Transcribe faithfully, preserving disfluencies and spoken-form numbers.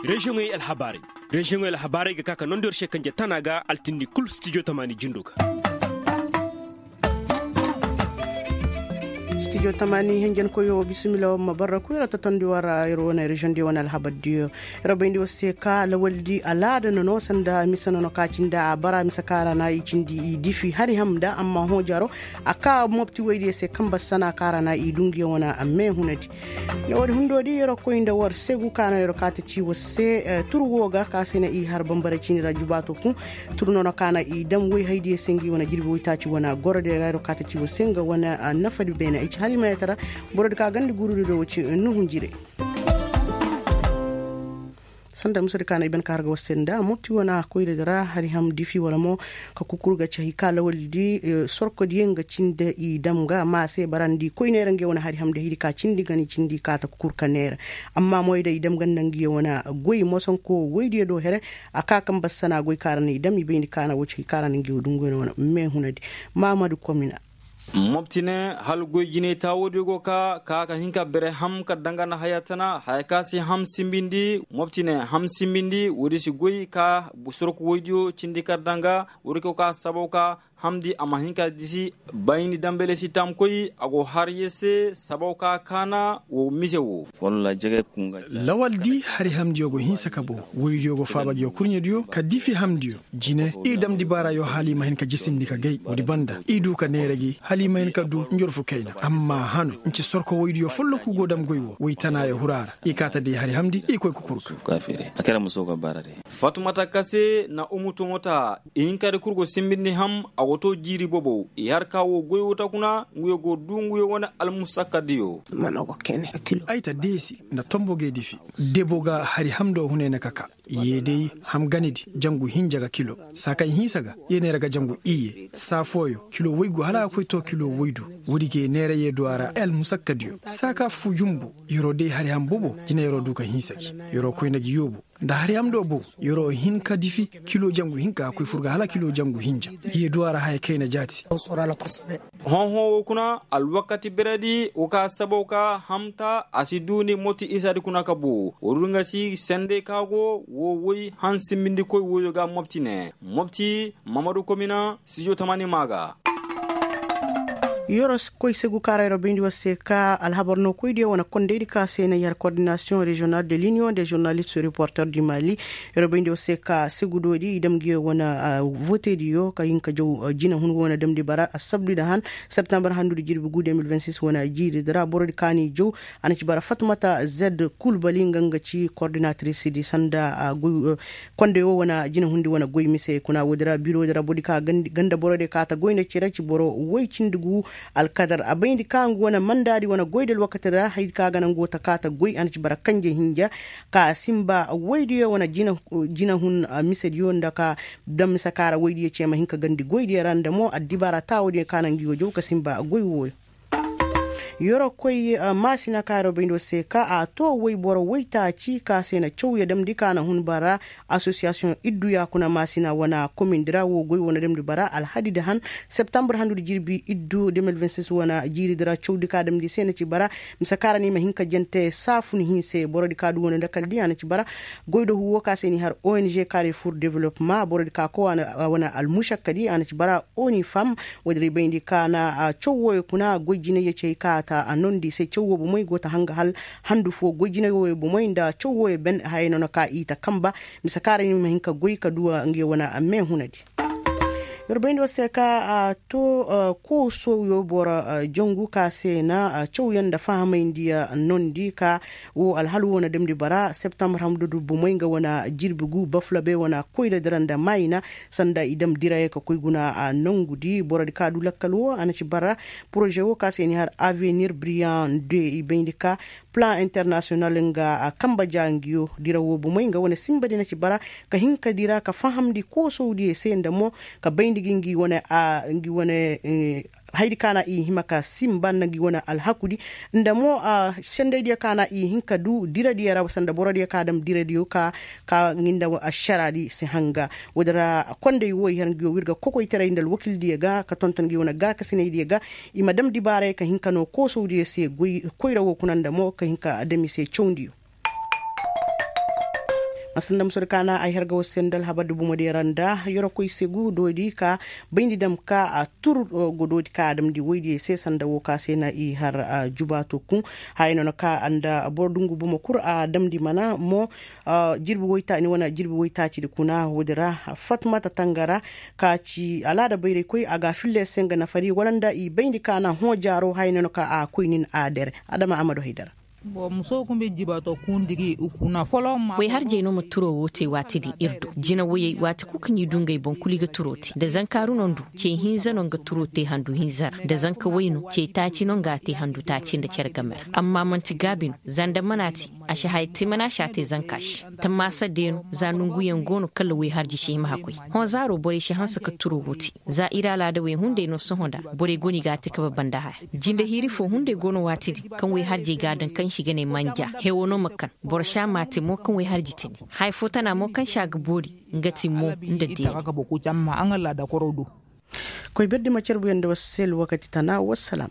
Reziyoŋey alhabaarey. Reziyoŋey alhabaarey ga ka ka nondi yer se kanje tana ga altindi kul stijo tamaani jindo ga. Stijo tamaani hinjankoyo bisimila war ma barra kuy yer tatandi war yer wane reziyoŋ diyo wane alhabar diyo. Yer bayndi war se ka lawaldi alaada nono sanda mise nono ka cindi a bara mise ka ra na i cindi i difi hari ham nda amma hõ jaro a ka mopti woy diyo se kamba sana ka ra na i du ngiyo wane meehunadi. Ne woodi hundo di yer koy nda war segu ka no yer ka ta ci war se. Tur wo ga ka se na i har bambara cindi ra jubaato kun. Tur nono ka na i dam woy haydiyo se ngi wane jirbi woytaaci wane gorodiyo ra yer ka ta ci war se nga wane nafadi beene ay ci halimayata ra. Borodi ka gandi gurudi do wo ci nuhunjire. Sanda musadi ka na i ban ka har ga war se nda mopti wane koyradi ra hari ham difi wala mo ka kukur ga ci hay ka lawaldi. Sorkodiyo nga cindi i dam ga ma se bara nda i koy neera ngiyo wane hari ham da hidi ka cindi gani cindi ka ta kukur ka neera. Amma moy da i dam ganda ngiyo wane goy mosonko woydiyo do here. A ka kamba sana goy ka ra na i dam i bayndi ka na wo ci hay ka ra na ngiyo dungu wane meehunadi. Mahamadu komina. Mopti ne hala goy jinay taawoodiyo go ka ka ka hin ka bere ham ka danga nda haya tana haya ka si ham simbindi mopti ne ham simbindi woodi si goy ka sorku woydiyo cindi ka danga woodi ko ka sabaw ka hamdi a ma hin ka disi. Bayni dambele si taamkoy a go har ye se sabaw ka kaana wo mise wo. Lawaldi hari hamdiyo go hinsa ka bow woydiyo go faaba ngiyo kurɲediyo ka difi hamdiyo. Jine i dam dibaarayo hala i ma hin ka jisindi ka gay woodi banda i du ka neera gi hala i ma hin ka du njorfu kayna amma hano nci sorko woydiyo folloku go dam goy wo woy tanaayo hura ra i kaa ta day hari hamdi i koy ka kurka. Fatumata kase na umu toŋo ta i hinkadi kul go simbindi ham a go to jiiri bobow i har ka wo goy wo ta kuna nguyo go du nguyo wane almusakkadiyo. Ay ta deesi nda tombo gay difi debo ga hari hamdo hunay na ka ka. Yee day ham ganidi jangu hinja ga kilo saa kaŋ hinsa ga yee neera ga jangu iyye saa fooyo kilo woygu hala a koy to kilo woydu. Woodi gay neera yee du a ra ay almusakkadiyo saa ka fu jumbu. Yeroo day hari ham bobo jina yeroo du ka hinsa gi yeroo koyna gi yoobu nda hari ham do bow yeroo hin ka difi kilo jangu hinka a koy fur ga hala kilo jangu hinja. Yee du a ra haya kayna jaati. Hõ-hõ wo kuna alwakati beredi wo ka sabaw ka hamta a si duuni moti isadi kuna ka boo wo du nga si sendey ka go wo woy hansimbindikoy woyo ga mopti ne mopti mamadu komina sijo tamani maa ga. Yoro koy segu ka ra yoro bayndi war se ka alhabar no koydiyo wane kondaydi ka se na yar kordinasiyoŋ reziyonal de liniyoŋ de zurnalist reporter di mali. Yoro bayndi war se ka segudoodi i dam ngiyo wane votediyo ka hin ka jaw jinahun wane damndi bara assabdi nda han septembar handudi jirbi gu de mil vingt six wane jiiridi ra borodi ka n'i jaw. A na ci bara fatmata zed kulbali nga nga ci kordinatrisi di sanda. Konday wo wane jinahundi wane goy mise kuna woodi ra birodi ra borodi ka ganda borodi ka ta goy nda cere ci boro woy cindi gu. Alkadar a bayndi ka nga wane mandaadi wane goy da alwakati ra haydi ka ga nangu ta ka ta goy a na ci bara kanje hinja ka simba woydiyo wane jinahun misediyo nda ka daŋ mise ka ra woydiyo ce ma hin ka gandi goydiyo ra nda mo addibaara taawodiyo ka naŋ ngi wo jaw ka simba goy wooyo. Yorokoy maasina ka yoro bayndi war se ka a to woyboro woytaaci ka se na cawya damndi ka na hun bara. Asosiyasiyoŋ iddu yaakuna maasina wane komindi ra wo goy wane damndi bara alhadi nda han septambur handudi jirbi iddu de mil vingt six wane jiiridi ra cawdi ka damndi se na ci bara. Mise ka ra ni ma hin ka jante saafun hinse borodi ka du wane dakaldi a na ci bara. Goydohu wo ka se ni har ong kare fur developma borodi ka koy wane almušakkadi a na ci bara. Onifam woodin ra i bayndi ka na caw wooyo kuna goy jinayyo cey ka ta a nondi se caw woo bomey go ta hanga hal handu foo goy jinayyo wooyo bomey nda caw wooyo ben hayey no na ka i ta kamba. Mise ka ra ni ma hin ka goy ka duwa ngiyo wane meehunadi. Yer bayndi war se ka a to koosowyo boro jangu ka se na cawyaŋ nda fahamayndi nondi ka wo alhal wo na damndi bara septambur hamdu du bomey nga wane jirbi gu bafulabe wane koyra dira nda maayina. Sanda i dam dirayo ka koy guna nongudi borodi ka du lakkal wo a na ci bara. Poroze wo ka se ni har avenir briyan de i bayndi ka plan internasiyonal nga kamba ja ngiyo dira wo bomey nga wane simbadi na ci bara ka hin ka dira ka fahamndi koosowdiyo se nda mo ka bayndi gi ngi wane a ngi wane haydi ka na i hima ka simba nda ngi wane alhakudi nda mo sendaydiyo ka na i hin ka du diradiyo ra sanda borodiyo ka dam diradiyo ka ka ngi nda ašaraadi si hanga. Woodin ra konday wo i har ngiyo wirga kokoytaray nda alwakildiyo ga ka tonton ngi wane gaakasinaydiyo ga i ma dam dibaaray ka hin ka noo koosowdiyo se goy koyra wo kuna nda mo ka hin ka dam i se cawndiyo. Sanda muso di kaana ay har ga war se nda alhabar di bomo di ra nda yorokoy se gu doodi ka bayndi dam ka a tur godoodi ka a damndi woy di se sanda wo ka se na i har jubaato kun. Haya no na ka nda boro dungu bomo kul a damndi mana mo jirbi woytaaci ni wane jirbi woytaaci di kuna woodi ra fatmata tangara ka ci alaada bayraykoy a ga a filla i se nga nafari wala nda i bayndi ka na hõ jaaro haya no na ka a koy nin a dere. Adama amadu haydara. Way harjey no ma turoo woo te waati din ir do jina woyey waati kul kaŋ i du ngey boŋ kul i ga turoo te da zankaaru no ndu cey hinza no nga turoo te handu hinza ra da zanka way no cey taaci no nga a te handu taaci nda cere game ra amma man'ti gaabi no za nda mana te a si haya te mana a si a te zanka se tammaasa de no za nonguyaŋ go no kala way harji si hima hakkoy hõ zaaro borey si hanse ka turoo woo te za ir alaada wey hunday no sohõ nda borey go no i ga a te kabe banda haya jinde hiiri foo hunday go no waati din kaŋ way harjey ga a daŋ kaŋ si ga ne manja hewo no ma kan boro si a maate mo kaŋ way harji tini haya foo tana mo kaŋ si a ga boori nga ti mo nda deeni. Koy berdi ma carbuyaŋ nda war se alwakati tana wassalaam.